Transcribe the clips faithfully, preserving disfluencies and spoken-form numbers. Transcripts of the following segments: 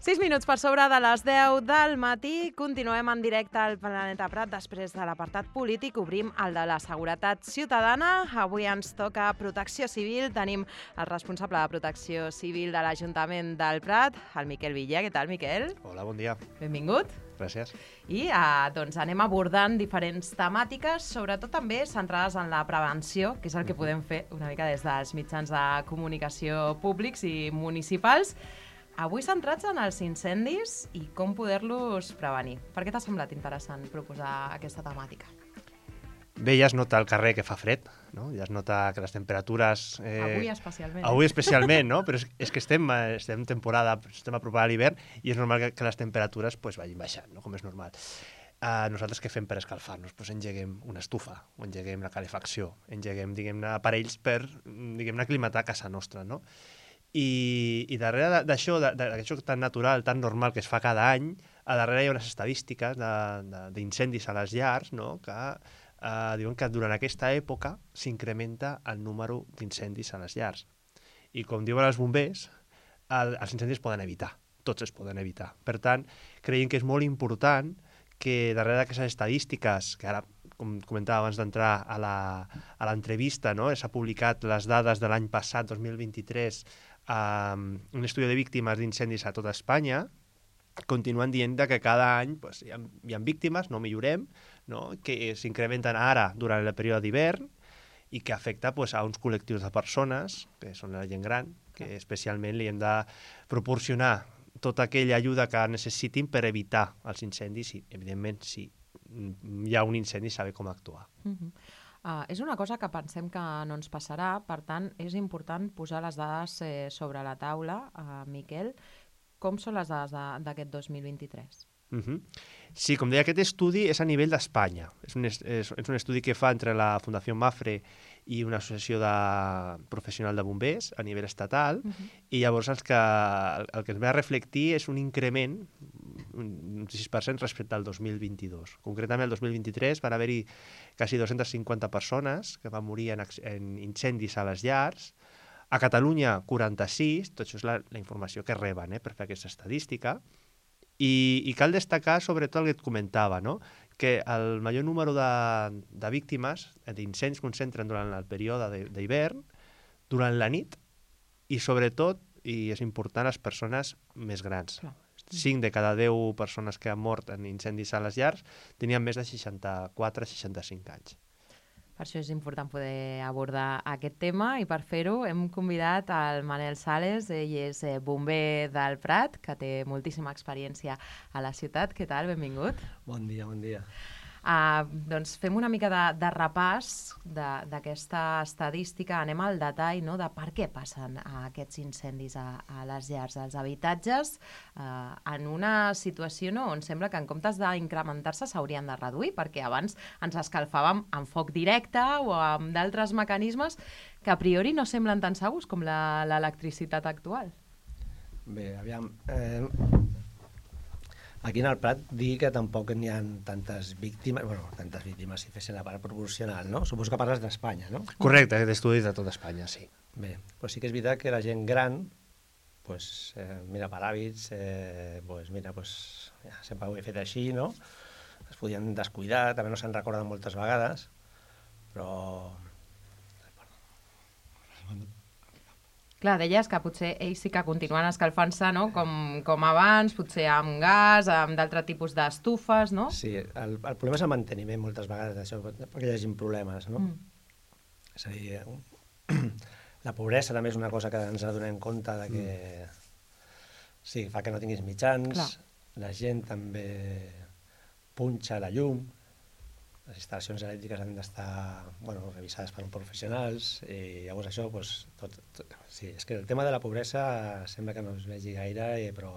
sis minuts per sobre de les deu del matí. Continuem en directe al Planeta Prat. Després de l'apartat polític obrim el de la seguretat ciutadana. Avui ens toca protecció civil. Tenim el responsable de protecció civil de l'Ajuntament del Prat, el Miquel Villa. Què tal, Miquel? Hola, bon dia. Benvingut. Gràcies. I eh, doncs anem abordant diferents temàtiques, sobretot també centrades en la prevenció, que és el que podem fer una mica des dels mitjans de comunicació públics i municipals. Avui centrats en els incendis i com poder-los prevenir. Per què t'ha semblat interessant proposar aquesta temàtica? Bé, ja es nota al carrer que fa fred, no? Ja es nota que les temperatures... Eh... Avui especialment. Avui especialment, no? Però és, és que estem, estem en temporada, estem apropant a l'hivern i és normal que, que les temperatures pues, vagin baixant, no? Com és normal. Uh, nosaltres què fem per escalfar-nos? Pues engeguem una estufa, o engeguem la calefacció, engeguem, diguem-ne, aparells per, diguem-ne, aclimatar a casa nostra, no? I, i darrere d'això, d'això tan natural, tan normal que es fa cada any, a darrere hi ha unes estadístiques d'incendis a les llars, no? Que eh, diuen que durant aquesta època s'incrementa el número d'incendis a les llars. I com diuen els bombers, el, els incendis es poden evitar, tots es poden evitar. Per tant, creiem que és molt important que darrere d'aquestes estadístiques, que ara, com comentava abans d'entrar a l'entrevista, no? S'ha publicat les dades de l'any passat, dos mil vint-i-tres, um, un estudi de víctimes d'incendis a tota Espanya, continuen dient que cada any pues, hi, ha, hi ha víctimes, no millorem, no? Que s'incrementen ara durant el període d'hivern i que afecta pues, a uns col·lectius de persones, que són la gent gran, que especialment li hem de proporcionar tota aquella ajuda que necessitin per evitar els incendis i, evidentment, si hi ha un incendi, saber com actuar. Uh-huh. Uh, és una cosa que pensem que no ens passarà, per tant, és important posar les dades eh, sobre la taula. Uh, Miquel, com són les dades d'aquest dos mil vint-i-tres? Uh-huh. Sí, com deia, aquest estudi és a nivell d'Espanya. És, un és, és un estudi que fa entre la Fundació Mafre i una associació de professional de bombers a nivell estatal, uh-huh. I llavors el que, el que ens ve a reflectir és un increment, un sis per cent respecte al dos mil vint-i-dos. Concretament, el dos mil vint-i-tres van haver-hi quasi dues-centes cinquanta persones que van morir en, en incendis a les llars. A Catalunya, quaranta-sis, tot això és la, la informació que reben eh, per fer aquesta estadística. I, i cal destacar sobretot el que et comentava, no? Que el major número de, de víctimes d'incendis concentren durant el període d'hivern, durant la nit i sobretot, i és important, les persones més grans. Clar. cinc de cada deu persones que han mort en incendis a les llars tenien més de seixanta-quatre a seixanta-cinc anys. Per això és important poder abordar aquest tema i per fer-ho hem convidat el Manel Sales, ell és bomber del Prat, que té moltíssima experiència a la ciutat. Què tal? Benvingut. Bon dia, bon dia. Uh, doncs fem una mica de, de repàs d'aquesta estadística, anem al detall, no?, de per què passen uh, aquests incendis a, a les llars, als habitatges, uh, en una situació no, on sembla que en comptes d'incrementar-se s'haurien de reduir, perquè abans ens escalfàvem amb foc directe o amb d'altres mecanismes que a priori no semblen tan segurs com l'electricitat actual. Bé, aviam... Eh... Aquí en el Prat dir que tampoc n'hi ha tantes víctimes, bueno, tantes víctimes si fessin la part proporcional, no? Suposo que parles d'Espanya, no? Correcte, d'estudis de tota Espanya, sí. Bé, però sí que és veritat que la gent gran, pues, eh, mira, per hàbits, eh, pues, mira, pues, ja, sempre ho he fet així, no? Es podien descuidar, també no se'n recorden moltes vegades, però... Clar, deies que potser ells sí que continuen escalfant-se, no?, com, com abans, potser amb gas, amb d'altre tipus d'estufes, no? Sí, el, el problema és el manteniment moltes vegades d'això, perquè hi hagi problemes, no? Mm. És a dir, la pobresa també és una cosa que ens adonem compte de que mm. sí, fa que no tinguis mitjans, clar. La gent també punxa la llum, les instal·lacions elèctriques han d'estar bueno, revisades per uns professionals i llavors això, doncs, tot, tot, sí, és que el tema de la pobresa sembla que no es vegi gaire, eh, però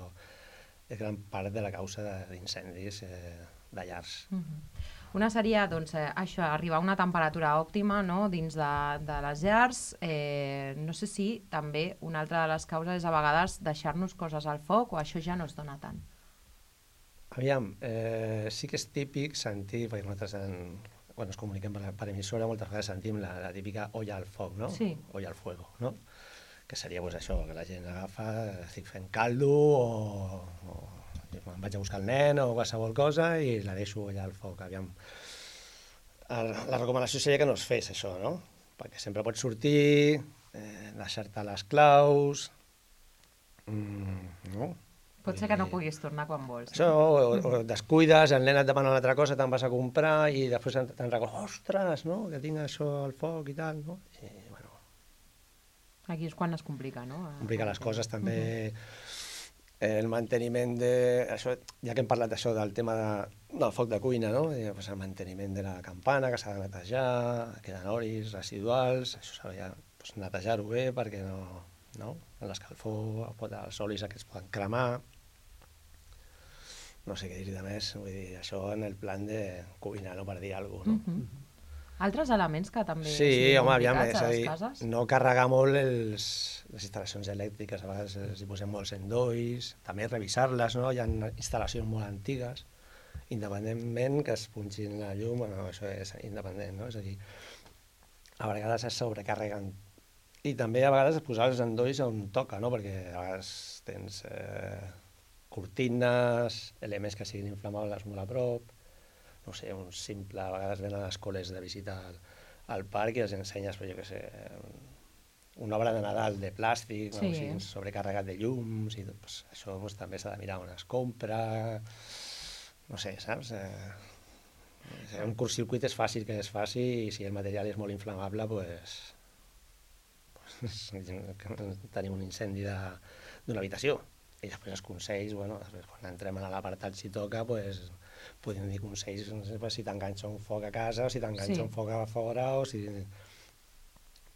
és gran part de la causa d'incendis eh, de llars. Mm-hmm. Una seria, doncs, eh, això, arribar a una temperatura òptima, no?, dins de, de les llars. Eh, no sé si també una altra de les causes és a vegades deixar-nos coses al foc o això ja no es dona tant. Aviam, eh, sí que és típic sentir, perquè nosaltres en, quan ens comuniquem per, per emissora moltes vegades sentim la, la típica olla al foc, no? Sí. Olla al fuego, no? que seria pues, això, que la gent agafa, estic fent caldo o, o em vaig a buscar el nen o qualsevol cosa i la deixo allà al foc. Aviam. La recomanació seria que no es fes això, no? Perquè sempre pots sortir, eh, deixar-te les claus, mm, no? Pot ser que no puguis tornar quan vols. Això, o, o descuides, el nen et demana una altra cosa, te'n vas a comprar i després te'n recordes, ostres, no? Que tinc això al foc i tal, no? I, bueno... Aquí és quan es complica, no? Complica les coses, també. Uh-huh. El manteniment de... Això, ja que hem parlat d'això, del tema de, del foc de cuina, no? I, pues, el manteniment de la campana, que s'ha de netejar, queden oris residuals, això s'ha de pues, netejar-ho bé perquè no... no? L'escalfor, els olis aquests poden cremar, no sé què dir de més, vull dir, això en el plan de cuinar, no, per dir alguna cosa, no? Uh-huh. Altres elements que també sí, siguin home, aviam, complicats a les dir, cases? no carregar molt els, les instal·lacions elèctriques, a vegades els hi posem molts endolls, també revisar-les, no? Hi ha instal·lacions molt antigues, independentment que es punxin la llum, bueno, això és independent, no? És a dir, a vegades es sobrecarreguen. I també a vegades posar els endolls on toca, no? Perquè a vegades tens eh, cortines, elements que siguin inflamables molt a prop, no sé, un simple, a vegades venen a les escoles de visita al, al parc i els ensenyes, però jo què sé, una obra de Nadal de plàstic, sí. No? O sigui, sobrecarregat de llums, i tot, pues, això pues, també s'ha de mirar on es compra, no sé, saps? Eh, un curtcircuit és fàcil que es faci i si el material és molt inflamable, doncs... tenim un incendi d'una habitació i després els consells, bueno, després quan entrem a l'apartat si toca, pues, podem dir consells, no sé, si t'enganxa un foc a casa o si t'enganxa sí. un foc a fora o si...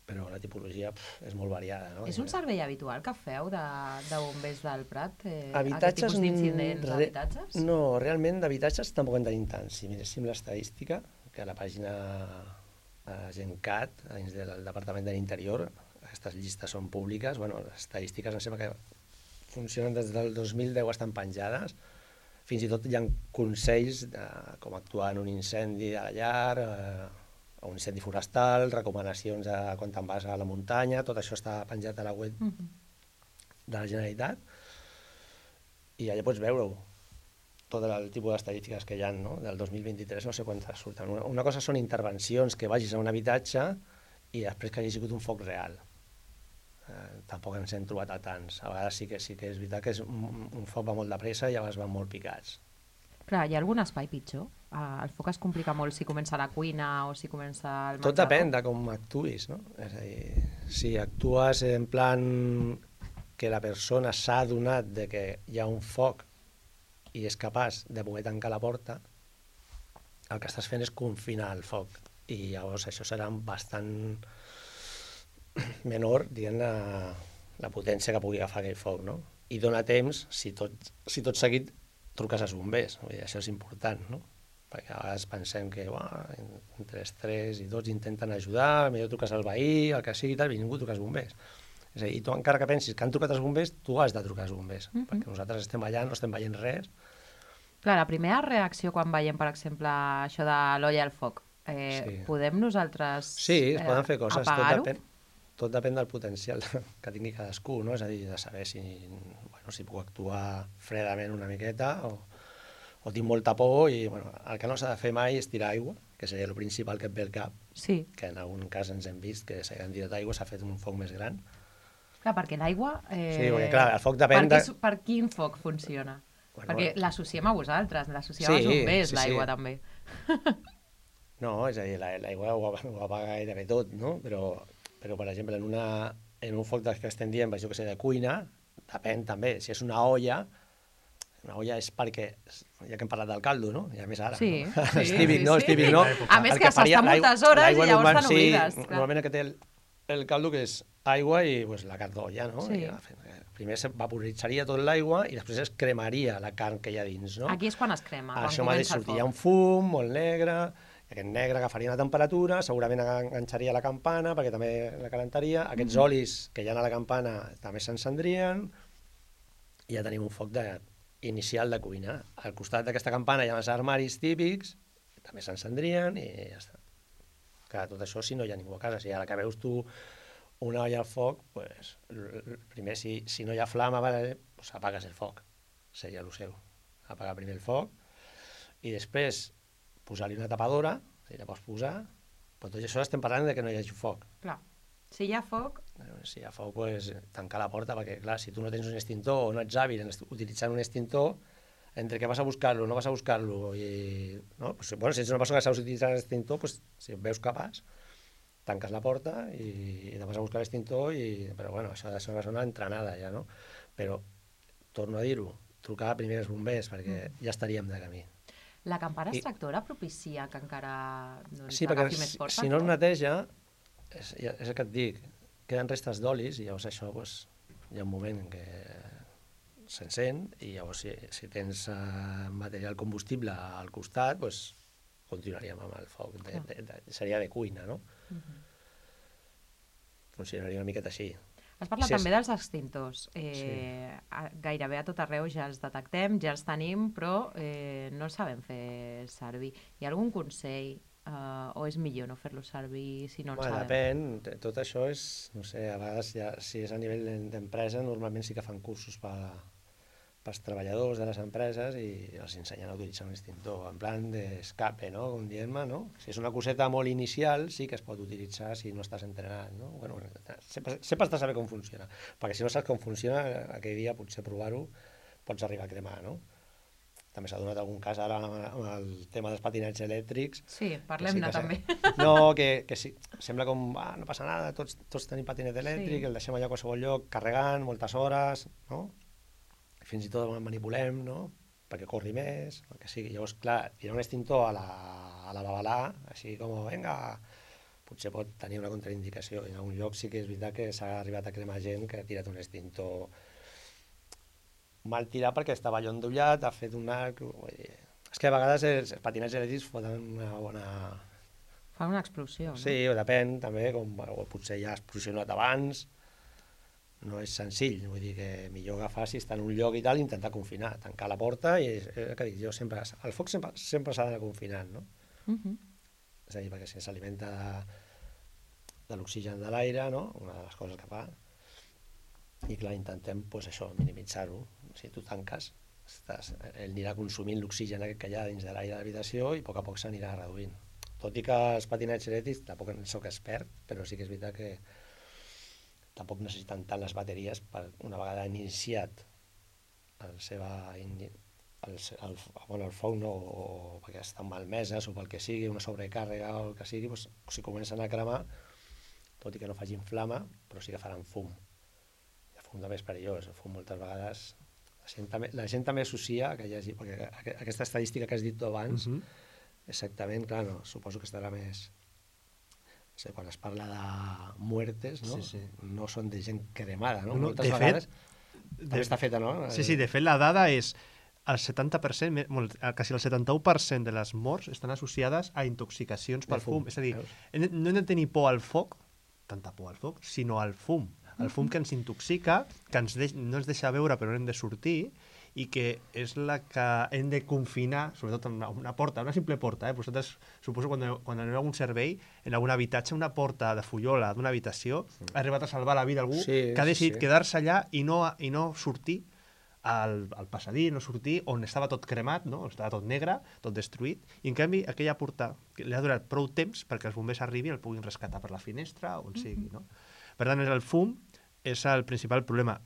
Però la tipologia pf, és molt variada, no? És un servei habitual que feu de, de bombers del Prat? Eh, habitatges... Aquest tipus d'incidents re... d'habitatges? No, realment d'habitatges tampoc en tenim tant. Si miréssim l'estadística, que a la pàgina a Gencat, dins del Departament de l'Interior, aquestes llistes són públiques, bueno, les estadístiques em sembla que funcionen des del dos mil deu, estan penjades, fins i tot hi ha consells de com actuar en un incendi a la llar, eh, o un incendi forestal, recomanacions de quan te'n vas a la muntanya, tot això està penjat a la web uh-huh. de la Generalitat, i allà pots veure-ho, tot el tipus d'estadístiques que hi ha, no? Del dos mil vint-i-tres no sé quantes surten. Una, una cosa són intervencions que vagis a un habitatge i després que hagi sigut un foc real. Eh, tampoc ens hem trobat a tants. A vegades sí que, sí que és veritat que és un, un foc va molt de pressa i a vegades van molt picats. Clar, hi ha algun espai pitjor? Uh, el foc es complica molt si comença a la cuina o si comença al menjador? Tot depèn de com actuïs, no? És a dir, si actues en plan que la persona s'ha adonat de que hi ha un foc i és capaç de poder tancar la porta, el que estàs fent és confinar el foc. I llavors això serà bastant menor, diguem, la, la potència que pugui agafar aquell foc, no? I dona temps, si tot, si tot seguit truques als bombers, vull dir, això és important, no? Perquè a vegades pensem que uah, entre els tres i tots intenten ajudar, millor truques al veí, el que sigui, tal, i ningú truca als bombers. És a dir, tu encara que pensis que han trucat els bombers, tu has de trucar als bombers, mm-hmm. perquè nosaltres estem allà, no estem veient res. Clar, la primera reacció quan veiem, per exemple, això de l'olla al foc, eh, sí. podem nosaltres sí, es eh, poden fer coses, apagar-ho? Tot depèn, tot depèn del potencial que tingui cadascú, no? És a dir, de saber si, bueno, si puc actuar fredament una miqueta o, o tinc molta por i bueno, el que no s'ha de fer mai és tirar aigua, que seria el principal que et ve al cap, sí. que en algun cas ens hem vist que s'ha tirat aigua, s'ha fet un foc més gran. Clar, perquè l'aigua... Eh, sí, perquè clar, el foc depèn per, de... per quin foc funciona? Bueno, perquè bueno. L'associem a vosaltres, l'associem sí, als bombers, sí, l'aigua sí. també. No, és a dir, l'aigua ho, ho apaga gairebé tot, no? Però, però per exemple, en, una, en un foc que estem dient, jo que sé, de cuina, depèn també, si és una olla, una olla és perquè, ja que hem parlat del caldo, no? I a més ara, sí, no? Sí, és típic, sí, no? Sí. És típic, no? A més que s'està moltes hores i llavors t'han oblides. Sí, normalment que té el, el caldo que és aigua i pues, la carn d'olla, no? Sí. I, primer se vaporitzaria tot l'aigua i després es cremaria la carn que hi ha dins, no? Aquí és quan es crema, quan això comença el foc. Sortia un fum molt negre, i aquest negre agafaria una temperatura, segurament enganxaria la campana perquè també la calentaria, aquests mm-hmm. olis que hi ha a la campana també s'encendrien i ja tenim un foc de, inicial de cuina. Al costat d'aquesta campana hi ha els armaris típics, també s'encendrien i ja està. Clar, tot això si no hi ha ningú a casa, si ara que veus tu una olla al foc, pues, primer, si, si no hi ha flama, vale, pues apagues el foc. Seria el seu. Apagar primer el foc i després posar-li una tapadora, si la pots posar, però tot això estem parlant de que no hi hagi foc. Clar. Si hi ha foc... Si hi ha foc, pues, tancar la porta, perquè, clar, si tu no tens un extintor o no ets hàbil en utilitzant un extintor, entre que vas a buscar-lo, no vas a buscar-lo, i... No? Pues, bueno, si ets una persona que saps utilitzar l'extintor, pues, si veus capaç, tanques la porta i, i te vas a buscar l'extintor, i... però bueno, això ha de ser una persona entrenada ja, no? Però, torno a dir-ho, trucar primer als bombers, perquè mm. ja estaríem de camí. La campana I... extractora propicia que encara doncs, sí, perquè agafi més força? Si no es neteja, és, és el que et dic, queden restes d'olis i llavors això pues, hi ha un moment en què s'encén i llavors si, si tens uh, material combustible al costat, pues, continuaríem amb el foc. De, de, de, seria de cuina, no? Uh-huh. Funcionaria una miqueta així. Has parlat sí, també dels extintors. Eh, sí. Gairebé a tot arreu ja els detectem, ja els tenim, però eh, no els sabem fer servir. Hi ha algun consell eh, o és millor no fer-los servir si no els bueno, sabem? Depèn. Tot això és, no sé, a vegades ja, si és a nivell d'empresa, normalment sí que fan cursos per pels treballadors de les empreses i els ensenyen a utilitzar un extintor en plan d'escape, no? Com diem-me, no? Si és una coseta molt inicial, sí que es pot utilitzar si no estàs entrenat, no? Bueno, sempre, sempre has de saber com funciona, perquè si no saps com funciona, aquell dia potser provar-ho pots arribar a cremar, no? També s'ha donat algun cas ara amb el tema dels patinets elèctrics. Sí, parlem-ne sí també. No, que, que sí, sembla com, ah, no passa nada, tots, tots tenim patinet elèctric, sí. El deixem allà a qualsevol lloc, carregant, moltes hores, no? Fins i tot el manipulem, no? Perquè corri més, el que sigui. Llavors, clar, tirar un extintor a la, a la babalà, així com, vinga, potser pot tenir una contraindicació. En algun lloc sí que és veritat que s'ha arribat a cremar gent que ha tirat un extintor mal tirat perquè estava allò endollat, ha fet un arc... Vull dir, és que a vegades els, els patinets elèctrics foten una bona... Fa una explosió, no? Sí, depèn, també, com o potser ja ha explosionat abans... No és senzill, vull dir que millor agafar si està en un lloc i tal, intentar confinar, tancar la porta i és el que dic, jo sempre, el foc sempre sempre s'ha d'anar confinant, no? Uh-huh. És a dir, perquè si s'alimenta de, de l'oxigen de l'aire, no? Una de les coses que fa, i clar, intentem, pues, això, minimitzar-ho. Si tu tanques, estàs, ell anirà consumint l'oxigen que hi ha dins de l'aire de l'habitació i a poc a poc s'anirà reduint. Tot i que els patinets elèctrics, tampoc en soc expert, però sí que és veritat que tampoc necessiten tant les bateries per una vegada iniciat el, seva, el, el, bueno, el foc, no? O, o perquè estan malmeses o pel que sigui, una sobrecàrrega o el que sigui, doncs, si comencen a cremar, tot i que no facin flama, però sí que faran fum. I el fum també és perillós, el fum moltes vegades... La gent també, la gent també associa, que hi hagi, perquè aquesta estadística que has dit tu abans, uh-huh. Exactament, clar, no, suposo que estarà més... O sigui, quan es parla de muertes, no? Sí, sí. No són de gent cremada, no? no Moltes de vegades fet, també de... està feta, no? Sí, sí, de fet la dada és el setanta per cent, quasi el setanta-u per cent de les morts estan associades a intoxicacions per fum. fum. És a dir, veus? No hem de tenir por al foc, tanta por al foc, sinó al fum. El fum que ens intoxica, que ens deix, no ens deixa veure però no hem de sortir, i que és la que hem de confinar, sobretot en una, una porta, una simple porta, eh? Vosaltres, suposo, quan, quan aneu a algun servei, en algun habitatge, una porta de fullola d'una habitació, sí. Ha arribat a salvar la vida algú sí, que ha decidit sí. quedar-se allà i no, i no sortir al, al passadís, no sortir on estava tot cremat, no? Estava tot negre, tot destruït, i en canvi aquella porta li ha durat prou temps perquè els bombers arribin i el puguin rescatar per la finestra, on mm-hmm. sigui, no? Per tant, el fum és el principal problema.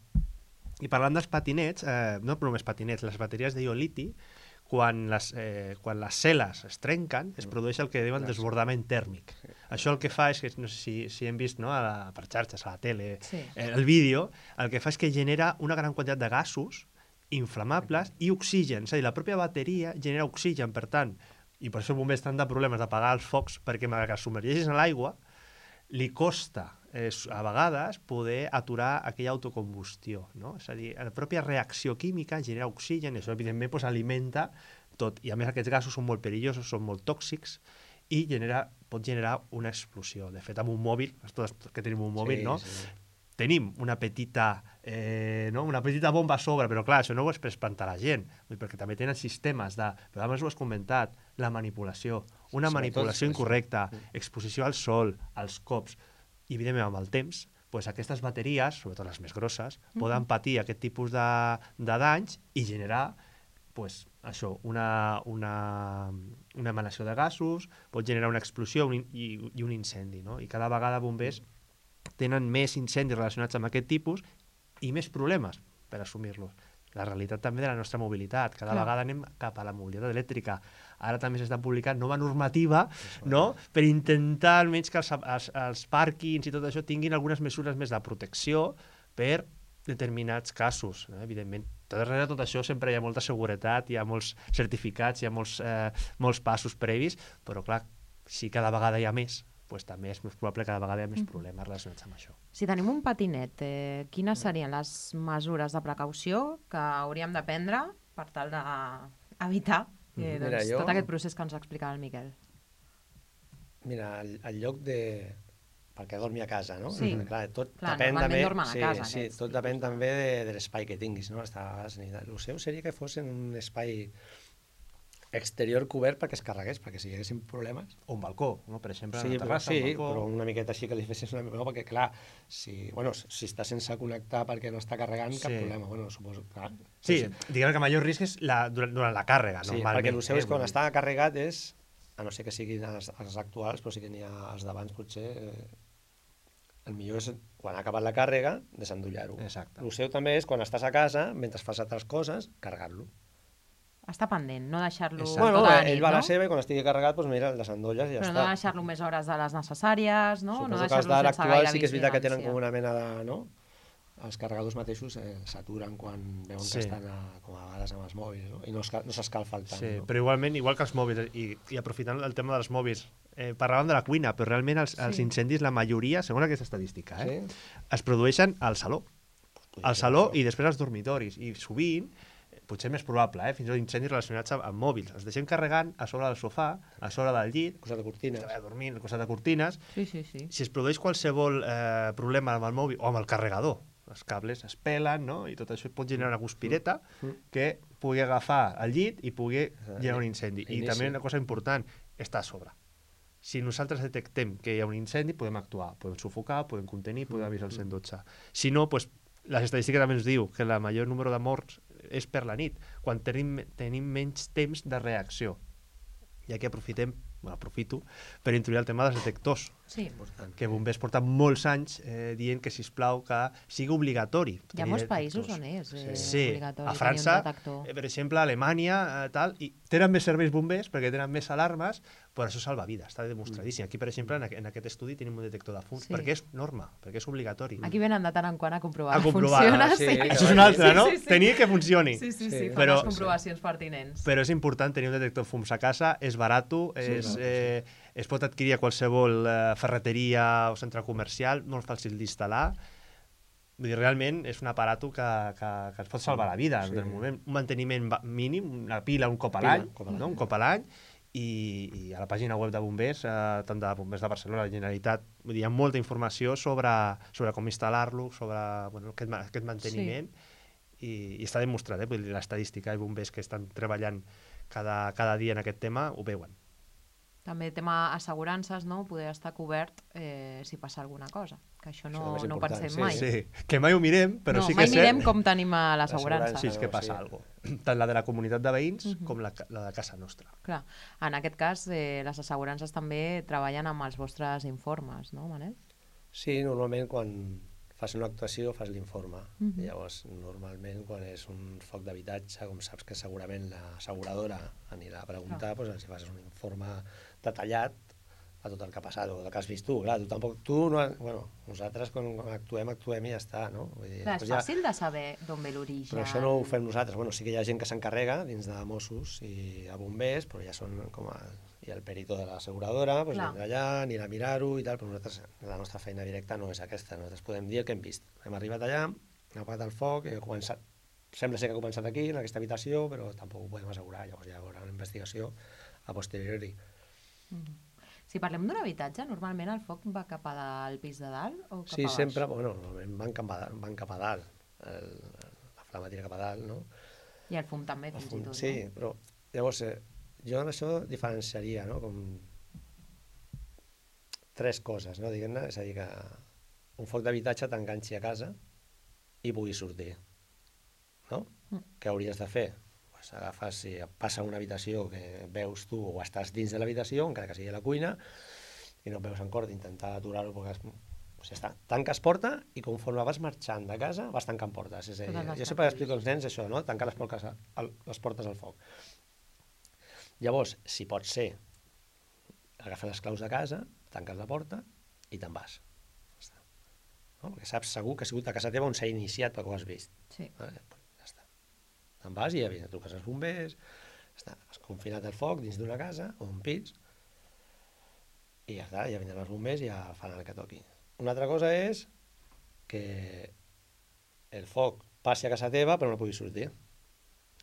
I parlant dels patinets, eh, no només patinets, les bateries d'ió-liti, quan les, eh, quan les cel·les es trenquen, es produeix el que diuen desbordament tèrmic. Sí. Això el que fa és que, no sé si, si hem vist, no, a la, per xarxes, a la tele, sí. eh, el vídeo, el que fa és que genera una gran quantitat de gasos inflamables i oxigen. És a dir, la pròpia bateria genera oxigen, per tant, i per això els bombers tenen de problemes d'apagar els focs, perquè malgrat que es submergeixis en l'aigua, li costa eh, a vegades poder aturar aquella autocombustió, no? És a dir, la pròpia reacció química genera oxigen i això evidentment pues, alimenta tot, i a més aquests gasos són molt perillosos, són molt tòxics i genera, pot generar una explosió. De fet, amb un mòbil, tots que tenim un mòbil, sí, no? Sí. Tenim una petita, eh, no? una petita bomba a sobre, però clar, això no ho és per espantar la gent, perquè també tenen sistemes de, però abans ho has comentat, la manipulació, una manipulació incorrecta, exposició al sol, als cops, i evidentment amb el temps, pues aquestes bateries, sobretot les més grosses, Mhm. poden patir aquest tipus de, de danys i generar pues, això, una, una, una emanació de gasos, pot generar una explosió un, in- i, i un incendi. No? I cada vegada bombers tenen més incendis relacionats amb aquest tipus i més problemes per assumir-los. La realitat també de la nostra mobilitat. Cada Clar. vegada anem cap a la mobilitat elèctrica. Ara també s'està publicant nova normativa, no? Per intentar almenys que els, els, els pàrquings i tot això tinguin algunes mesures més de protecció per determinats casos. No? Evidentment, darrere de tot això sempre hi ha molta seguretat, hi ha molts certificats, hi ha molts, eh, molts passos previs, però clar, si cada vegada hi ha més, pues també és més probable que cada vegada hi ha més problemes relacionats amb això. Si tenim un patinet, eh, quines serien les mesures de precaució que hauríem de prendre per tal d'evitar eh, doncs, Mira, jo- tot aquest procés que ens explicava el Miquel? Mira, al, al lloc de... perquè dormi a casa, no? Sí. Clar, tot Clar, depèn normalment també... dormen a sí, casa, sí, aquests tot tipus depèn de- també de, de l'espai que tinguis, no? Està, el seu seria que fos en un espai exterior cobert perquè es carregués, perquè si hi haguessin problemes... O un balcó, no? Per exemple, Sí, una però, terrassa, sí, un balcó. però una miqueta així que li fessis una mica... No, perquè, clar, si, bueno, si està sense connectar perquè no està carregant, cap Sí. problema. Bueno, suposo, clar. Sí, diguem que el major risc és la, durant, durant la càrrega, Sí, normalment. perquè el seu eh, és quan vull dir. està carregat és, a no ser que siguin els, els actuals, però sí que n'hi ha els d'abans potser, eh, el millor és quan ha acabat la càrrega, desendollar-ho. Exacte. El seu també és quan estàs a casa, mentre fas altres coses, carregar-lo. Està pendent, no deixar-lo Exacte. Bueno, tota la ell nit, va a no? la seva i quan estigui carregat, doncs mira, el desendolles i ja Però està. no deixar-lo més hores de les necessàries, no? no Suposo que els deixar-lo d'ara sense actuals gaire sí que és veritat que tenen vigilància. com una mena de... No? Els carregadors mateixos eh, s'aturen quan veuen Sí. que estan a, com a vegades amb els mòbils, no? I no, esca- no s'escalfa el tant. Sí, no? però igualment, igual que els mòbils, i, i aprofitant el tema dels mòbils, eh, parlàvem de la cuina, però realment els, els Sí. incendis, la majoria, segons aquesta estadística, eh, Sí? es produeixen al saló. Podria Al ser saló això. i després als dormitoris. I sovint, eh, potser més probable, eh, fins i tot incendis relacionats amb, amb mòbils. Els deixem carregant a sobre del sofà, a sobre del llit, Costat de cortines. a dormir al costat de cortines. Sí, sí, sí. Si es produeix qualsevol eh, problema amb el mòbil o amb el carregador, els cables es pelen, no? I tot això pot generar una guspireta Mm. que pugui agafar el llit i pugui Exacte. generar un incendi. I Inici. també una cosa important, està a sobre. Si nosaltres detectem que hi ha un incendi, podem actuar, podem sufocar, podem contenir, podem avisar el cent dotze. Si no, pues, les estadístiques també ens diu que el major número de morts és per la nit, quan tenim, tenim menys temps de reacció. I aquí aprofitem, bueno, aprofito, per introduir el tema dels detectors, Sí. Important. que bombers porten molts anys eh, dient que, sisplau, que sigui obligatori. Hi ha tenir molts països detectors. on és eh, Sí, obligatori a tenir França, un detector. eh, per exemple, a Alemanya, eh, tal, i tenen més serveis bombers perquè tenen més alarmes, però això salva vides, està demostradíssim. Aquí, per exemple, en, aqu en aquest estudi tenim un detector de fums, Sí. perquè és norma, perquè és obligatori. Aquí venen de tant en quant a comprovar A que comprovar, funciona. sí. Sí, Això és una altra, Sí, no? sí, sí. Tenir que funcioni. Sí, sí, sí, Sí. fan Però- les comprovacions pertinents. Però és important tenir un detector de fums a casa, és barat, és, barato, eh, es pot adquirir a qualsevol eh, ferreteria o centre comercial, molt fàcil d'instal·lar. Vull dir, realment és un aparato que, que, que ens pot salvar la vida. Sí. Sí. Un manteniment ba- mínim, una pila un cop a Pila, l'any, un cop a l'any. no? un cop a l'any, i, i a la pàgina web de bombers, eh, tant de bombers de Barcelona, la Generalitat, vull dir, hi ha molta informació sobre, sobre com instal·lar-lo, sobre bueno, aquest, ma- aquest manteniment, i, i està demostrat, eh? Vull dir, l'estadística i bombers que estan treballant cada, cada dia en aquest tema ho veuen. També tema assegurances, no? Poder estar cobert eh, si passa alguna cosa. Que això no, Això també és no ho important, pensem sí, mai. Sí, que mai ho mirem, però no, sí que mai és mirem cert com tenim a l'assegurança. L'assegurança. sí, és que no, passa sí. alguna cosa. Tant la de la comunitat de veïns Mhm. com la, la de casa nostra. Clar. En aquest cas, eh, les assegurances també treballen amb els vostres informes, no, Manel? Sí, normalment quan fas una actuació fas l'informe. Mhm. Llavors, normalment quan és un foc d'habitatge, com saps que segurament l'asseguradora anirà a preguntar, doncs els hi fas un informe detallat a tot el que ha passat, o el que has vist tu. Clar, tu tampoc, tu no... Bueno, nosaltres quan, quan actuem, actuem i ja està, no? Vull dir, Clar, és després ja- fàcil de saber d'on ve l'origen. Però això no ho fem nosaltres. Bueno, sí que hi ha gent que s'encarrega dins de Mossos i a bombers, però ja són com a... Hi ha el perito de l'asseguradora, doncs Clar. vindrà allà, anirà a mirar-ho i tal, però nosaltres, la nostra feina directa no és aquesta. Nosaltres podem dir el que hem vist. Hem arribat allà, hem apagat el foc, he començat... Sembla ser que ha començat aquí, en aquesta habitació, però tampoc ho podem assegurar. Llavors ja hi haurà una investigació a posteriori. Mhm. Si parlem d'un habitatge, normalment el foc va cap al pis de dalt o cap Sí, a baix? sempre, bueno, normalment van cap a, van cap a dalt. El, la flama tira cap a dalt, no? I el fum també, fins i tot. Sí, però llavors eh, jo en això diferenciaria, no? Com tres coses, no? Diguem-ne, és a dir que un foc d'habitatge t'enganxi a casa i puguis sortir. No? Mm. Què hauries de fer? Pues agafes, si passa una habitació que veus tu o estàs dins de l'habitació, encara que sigui a la cuina, i no veus en cor d'intentar aturar-ho perquè... Pues ja està, tanques porta i conforme vas marxant de casa vas tancant portes. És a dir, jo sempre explico als nens això, no? Tancar les portes, al, les portes al foc. Llavors, si pot ser, agafes les claus de casa, tanques la porta i te'n vas. No? Perquè saps segur que ha sigut a casa teva on s'ha iniciat perquè ho has vist. Sí. Vale? Ja està. Te'n vas i ja vine, truques als bombers, ja està. Has confinat el foc dins d'una casa o un pis i ja està, ja vindran els bombers i ja fan el que toqui. Una altra cosa és que el foc passi a casa teva però no puguis sortir.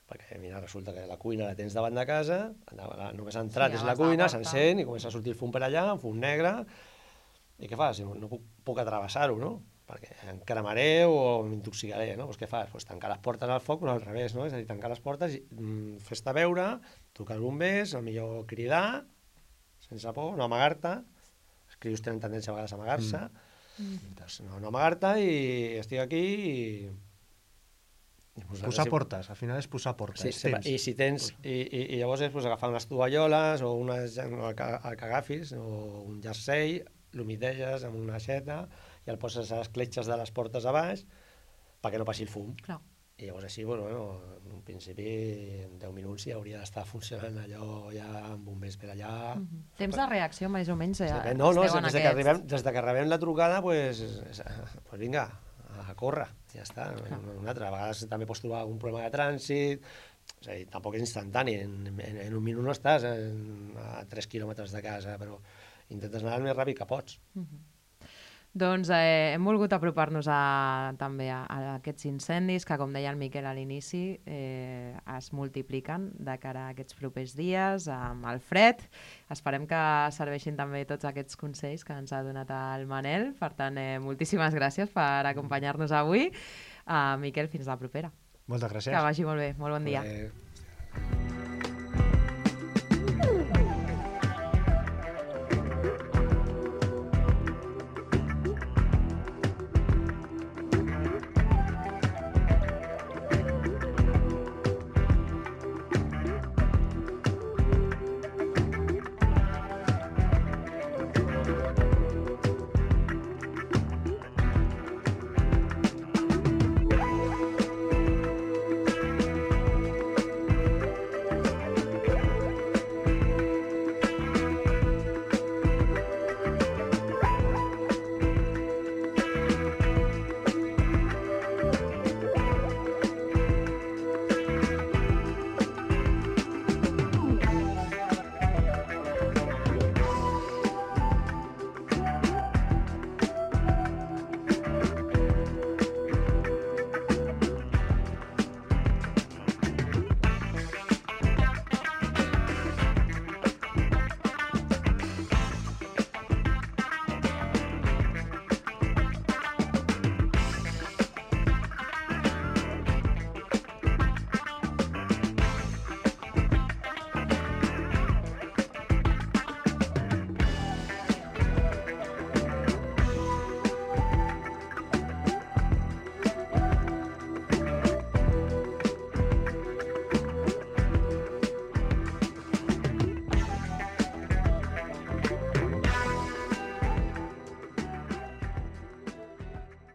Perquè, mira, resulta que la cuina la tens davant de casa, només ha entrat, sí, és la cuina, s'encén i comença a sortir el fum per allà, un fum negre, i què fas? No, no puc, puc atravessar-ho, no? Perquè em cremaré o m'intoxicaré, no? Doncs què fas? Pues tancar les portes al foc, però al revés, no? És a dir, tancar les portes i mm, fes-te veure, trucar als bombers, el millor cridar, sense por, no amagar-te, els crios tenen tendència a vegades a amagar-se, mm. doncs no, no amagar-te i estic aquí i... Posar si... portes, al final és posar portes. Sí, sí, i si tens, i, i, i llavors és pues, agafar unes tovalloles o unes, el que, el que agafis, o un jersei, l'humideges amb una aixeta i el poses a les cletxes de les portes a baix perquè no passi el fum. Clar. I llavors així, bueno, bueno, en un principi en deu minuts ja hauria d'estar funcionant allò ja amb bombers per allà. Mm-hmm. Temps de reacció més o menys ja sí, no, no, des, des, que arribem, des de que rebem la trucada, pues, pues vinga, a córrer, ja està. Una altra, a vegades també pots trobar un problema de trànsit, és a dir, tampoc és instantani, en, en, en un minut no estàs en, a tres quilòmetres de casa, però intentes anar el més ràpid que pots. Mm-hmm. Doncs eh, hem volgut apropar-nos a, també a, a aquests incendis que, com deia el Miquel a l'inici, eh, es multipliquen de cara a aquests propers dies amb el fred. Esperem que serveixin també tots aquests consells que ens ha donat el Manel. Per tant, eh, moltíssimes gràcies per acompanyar-nos avui. Uh, Miquel, fins la propera. Moltes gràcies. Que vagi molt bé. Molt bon dia. Eh...